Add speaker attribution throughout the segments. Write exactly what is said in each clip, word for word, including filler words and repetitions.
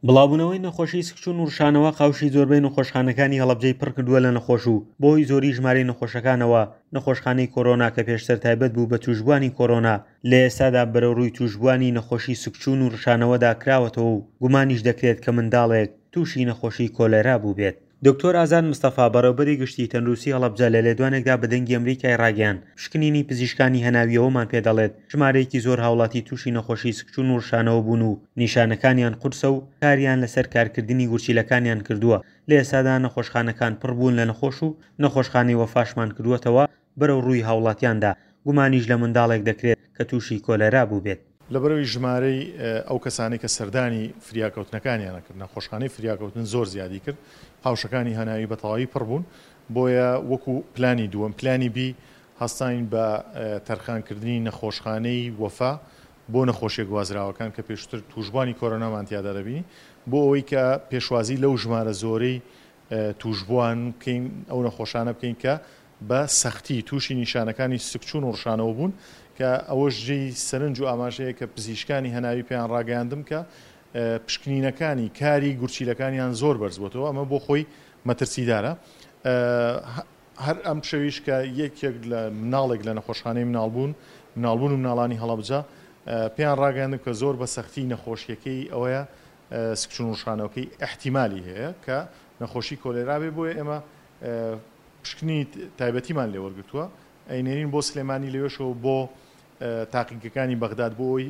Speaker 1: بڵاوبوونەوەی نەخۆشی سکچوون و ڕشانەوە قاوشی زۆربەی نەخۆشخانەکانی هەڵەبجەی پڕکردووە لە نەخۆش و بەهۆی زۆری ژمارەی نەخۆشەکانەوە نەخۆشخانەی کۆرۆنا کە پێشتر تایبەت بوو بە توشبووانی کۆرۆنا لە ئێستادا بەرەو ڕووی توشبووانی نەخۆشی سکچوون و ڕشانەوەدا کراوەتەوە و گومانیش دەکرێت کە منداڵێک تووشی نەخۆشی کۆلێرا بووبێت. دکتۆر ئازاد مستەفا، بەڕێوبەری گشتی تەندروستی هەڵەبجە لە لێدوانێکدا بە دەنگی ئەمریکای ڕاگەیاند، پشکنینی پزیشکانی هەناویەوەمان پێدەڵێت ژمارەیەکی زۆر هاوڵاتی تووشی نەخۆشی سکچوون و ڕشانەوە بوون و نیشانەکانیان قورسە و کاریان لەسەر کارکردنی گورچیلەکانیان کردووە. لە ئێستادا نەخۆشخانەکان پڕ بوون لە نەخۆش و نەخۆشخانەی وەفاشمان کردووەتەوە بەرەو ڕووی هاوڵاتیاندا، گومانیش لە منداڵێک دەکرێت کە تووشی کۆلێرا بوو بێت.
Speaker 2: لەبەرەوەی ژمارەی ئەو کەسانەی کە سەردانی فریاکەوتنەکانیانە کرد، نەخۆشخانەی فریاکەوتن زۆر زیادی کرد، قاوشەکانی هەناوی بە تەواوی پڕ بوون، بۆیە وەکو پلانی دووەم، پلانی بی، هەستاین بە تەرخانکردنی نەخۆشخانەی وەفا بۆ نەخۆشیە گوازراوەکان کە پێشتر توشبوانی کۆرۆنامان تیادا دەبینی، بۆ ئەوەی کە پێشوازی لەو ژمارە زۆرەی توشبوان بکەین، ئەو نەخۆشانە بکەین کە بە سەختی تووشی نیشانەکانی سکچوون و ڕشانەوە بوون، کە ئەوەش جێی سەرنج و ئاماژەیە کە پزیشکانی هەناوی پێیان ڕاگەیاندم کە پشکنینەکانی کاری گورچیلەکانیان زۆر بەرز بۆتەوە، ئەمە بۆ خۆی مەترسیدارە. هەر ئەم شەویش کە یەکێک لە مناڵێک لە نەخۆشخانەی مناڵبوون مناڵبوون و مناڵانی هەڵەبجە پێیان ڕاگەیاندم کە زۆر بە سەختی نەخۆشیەکەی ئەوەیە سکچوون و ڕشانەوەکەی احتیمالی هەیە کە نەخۆشی کۆلێرا بێ، بۆیە ئێمە پشکنی تایبەتیمان لێوەرگرتووە، ئەینێرین بۆ سلێمانی لەوێشەوە بۆ تاقیگەکانی بەغداد بۆ ئەوەی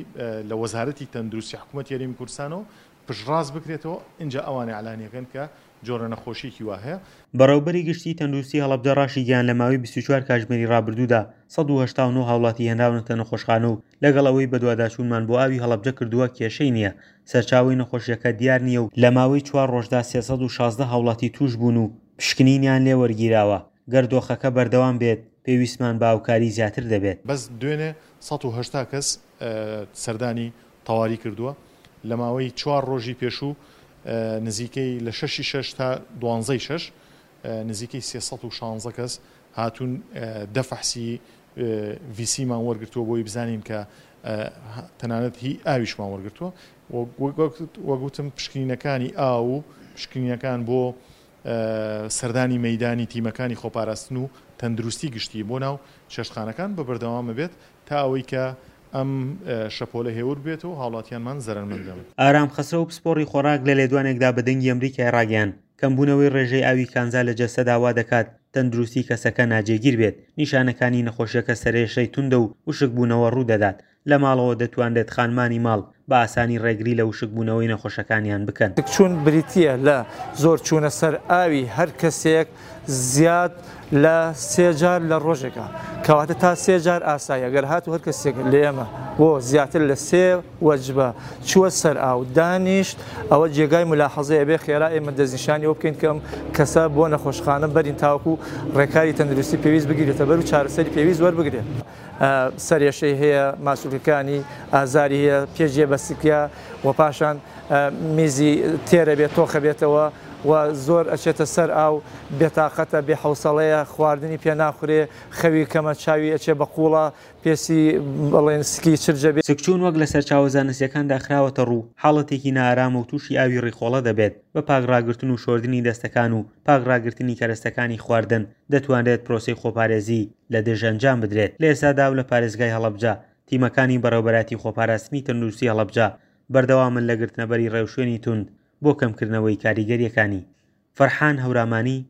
Speaker 2: لە وەزارەتی تەندروستی حکوومەتی هەرێمی کوردستانەوە پشتڕاست بکرێتەوە، ئینجا ئەوانە ئیعلانیەکەن کە جۆرە نەخۆشیەکی وا هەیە.
Speaker 1: بەڕێوبەری گشتی تەندروستی هەڵەبجە ڕاشیگەیاند لە ماوەی بیست و چوار کاتژمێری ڕابردوودا سەد و هەشتا و نۆ هاوڵاتی هێنراونەتە نەخۆشخانە و لەگەڵ ئەوەی بەدواداچوونمان بۆ ئاوی هەڵەبجە کردووە کێشەی نییە، سەرچاوەی نەخۆشیەکە دیار نییە و لە ماوەی چوار ڕۆژدا سێ سەد و شازدە هاوڵاتی توش بوون و پشکنینیان لێوەرگیراوە. گەر دۆخەکە بەردەوام بێت پێویستمان بە هاوکاری زیاتر دەبێت.
Speaker 2: بەس دوێنێ سەد و هەشتا کەس سەردانی تەواری کردووە، لە ماوەی چوار ڕۆژی پێشوو نزیکەی لە شەشی شەش تا دوانزەی شەش نزیکەی سێ سەد و شانزە کەس هاتوون دە فەحسی ڤیسیمان وەرگرتووە بۆی بزانین کە تەنانەت هی ئاویشمان وەرگرتووە. وەگوتم پشکنینەکانی ئاو و پشکنینەکان بۆ سەردانی مەیدانی تیمەکانی خۆپاراستن و تەندروستی گشتی بۆ ناو چێشتخانەکان بە بەردەوامە بێت تا ئەوەی کە ئەم شەپۆلە هێور بێتەوە هاوڵاتیانمان زەرەرمەند نەبن.
Speaker 1: ئارام خەسرەو پسپۆڕی خۆراک لە لێدوانێکدا بە دەنگی ئەمریکای ڕاگەیاند کەمبوونەوەی ڕێژەی ئاوی کانزا لە جەستەدا وا دەکات تەندروستی کەسەکە ناجێگیر بێت، نیشانەکانی نەخۆشیەکە سەرێشەی توندە و وشکبوونەوە ڕوودەدات. لە ماڵەوە دەتوانرێت خانمانی ماڵ بە ئاسانی ڕێگری لە وشکبوونەوەی نەخۆشەکانیان بکەن.
Speaker 3: سکچوون بریتییە لە زۆر چوونە سەر ئاوی هەر کەسێک زیاد لە سێ جار لە ڕۆژێکە، کەواتە تا سێ جار ئاسایی. ئەگەر هاتوو هەر کەسێک لە ئێمە بۆ زیاتر لە سێ وەجبە چووە سەر ئاو دانیشت، ئەوە جێگای ملاحەزەیە بێ خێرا ئێمە دەستنیشانی ئەوە بکەین کە ئەم کەسە بۆ نەخۆشخانە بەرین تاوەکو ڕێکاری تەندروستی پێویست بگیرێتە بەر و چارەسەری پێویست وەربگرێت. سەرێشەی هەیە، ماسوولکەکانی ئازاری هەیە، پێجێ بەسکیە و پاشان میزی تێرە بێت، تۆخە بێتەوە و زۆر ئەچێتە سەر ئاو، بێتاقەتە، بێحەوسەڵەیە، خواردنی پێ ناخورێ، خەوی کەمە، چاوی ئەچێ بە قوڵە، پێسی بڵێن سکی چرجە بێ.
Speaker 1: سکچوون وەک لە سەرچاوە زانستیەکاندا خراوەتە ڕوو، حاڵەتێکی نائارامە و تووشی ئاوی ڕیخۆڵە دەبێت. بە پاک ڕاگرتن و شۆردنی دەستەکان و پاک ڕاگرتنی کەرەستەکانی خواردن دەتوانرێت پرۆسەی خۆپارێزی لە دژ ئەنجام بدرێت. لە ئێستادا و لە پارێزگای هەڵەبجە تیمەکانی بەڕێوبەراتی خۆپاراستنی تەندروستی هەڵەبجە بەردەوامن لە گرتنەبەری ڕێوشوێنی توند بۆ کەمکردنەوەی کاریگەریەکانی. فەرحان هەورامانی،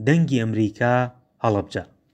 Speaker 1: دەنگی ئەمریکا، هەڵەبجە.